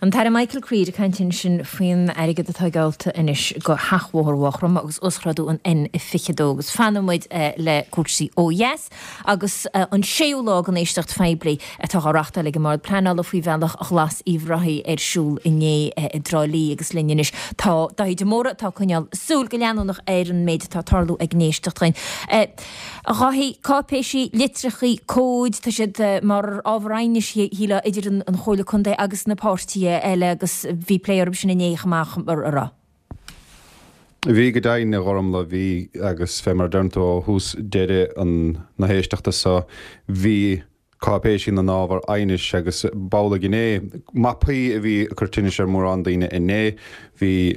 An tAire Michael Creed ag caint ansin faoin airgead atá geallta anois do sheachbhóthar Mhaigh Chromtha agus uasghrádú an N22 agus fanfaidh muid le cúrsaí ó dheas agus an séú lá den éisteacht phoiblí atá á reachtáil ag an mBord Pleanála faoi Bhealach Ghlas Uíbh Ráthaigh ar siúl inné i dTrá Lí agus linn anois tá Dáithí de Mórdha atá ag coinneáil súil go leanúnach ar an méid atá ag tarlú ag an éisteacht sin. A Dháithí, cáipéisí, litreachaí, comhaid, tá siad mar ábhar aighnis, shílfeá, idir an Chomhairle Contae agus na páirtithe eile agus bhí plé orthu sin inné chomh maith, an raibh? Bhí go deimhin, a Ghormlaith, bhí agus fé mar a deireann tú ó thús deireadh na héisteachta so, bhí cáipéisí ina n-ábhar aighnis agus b'amhlaidh inné. Mapaí a bhí ag cur tinnis ar mhórán daoine inné. Bhí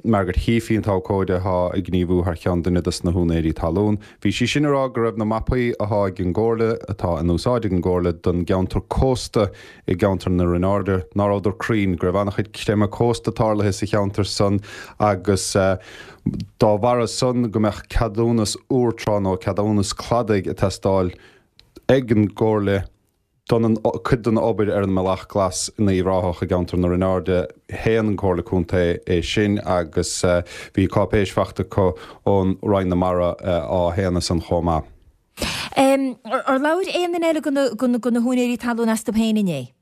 Margaret Heaphy, an t-abhcóide atá ag gníomhú thar cheann duine dos na húinéirí talún, bhí sí sin ag rá go raibh na mapaí athá ag an gComhairle, atá in úsáid ag an gComhairle don gceantar cósta i gceantar na Rinne Airde, ná rabhadar cruinn, go raibh an-chuid creimeadh cósta tarlaithe sa cheantar san agus dá bharra san go mbeadh ceadúnas úr trá nó ceadúnas cladaigh ag teastáil ag an gComhairle don cuid den obair ar an mBealach Glas in Uíbh Ráthach i gceantar na Rinne Airde. Shéan an Comhairle Contae é sin agus bhí cáipéis fachta acu ón Roinn na Mara á shéanadh san chomh maith. Ar labhair aon duine eile de na húinéirí talún astu féin inné?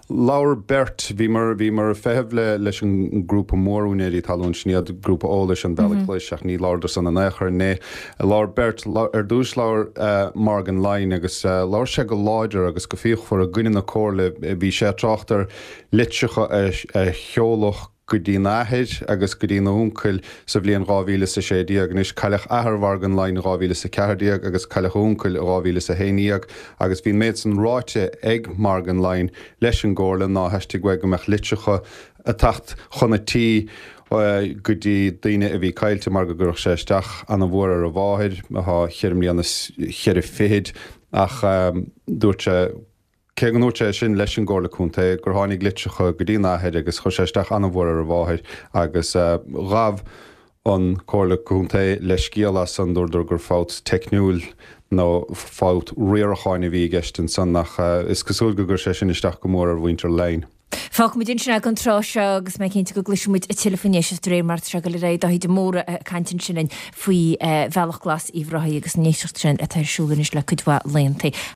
Labhair beirt. Bhíomar, bhíomar ag feitheamh le, leis an ngrúpa mór úinéirí talún, sin iad Grúpa Eolais an Bhealaigh Ghlais ach ní labhradar san in aon chor inné. Labhair beirt, ar dtús labhair Morgan Lyne agus labhair sé go láidir agus go fíochmhar i gcoinne na comhairle. Bhí sé ag trácht ar litreacha a, a sheoladh go dtína athair agus go dtína uncail sa bhliain 2016. Anois, cailleadh athair Mhorgan Lyne in 2014 agus cailleadh a uncail in 2011 agus bhí an méid san ráite ag Morgan Lyne leis an gComhairle ná theastaigh uaidh go mbeadh litreacha ag teacht chun a tí go dtí daoine a bhí caillte mar go gcuirfeadh sé isteach ana-mhór ar a mháthair, athá cheithre mbliana is cheithre fichid, ach dúirt sé. Cé go ndúirt sé sin leis an gComhairle Contae gur tháinig litreacha go dtína athair agus chuir sé isteach an-mhór ar a mháthair agus ghabh an Comhairle Contae leithscéal as san, dúradar gur fabht teicniúil nó fabht riaracháin a bhí i gceist ansan ach is cosúil go gcuir sé sin isteach go mór ar mhuintir Lyne. Fágfaimid ansin é don tráth seo agus mé cinnte go gcloisfidh muid tuilleadh faoin éisteacht de réir mar atá sé ag dul ar aghaidh. Dáithí de Mórdha ag caint ansin linn faoi Bhealach Glas Uíbh Ráthaigh agus an éisteacht sin atá ar siúl anois le cuid mhaith laethanta.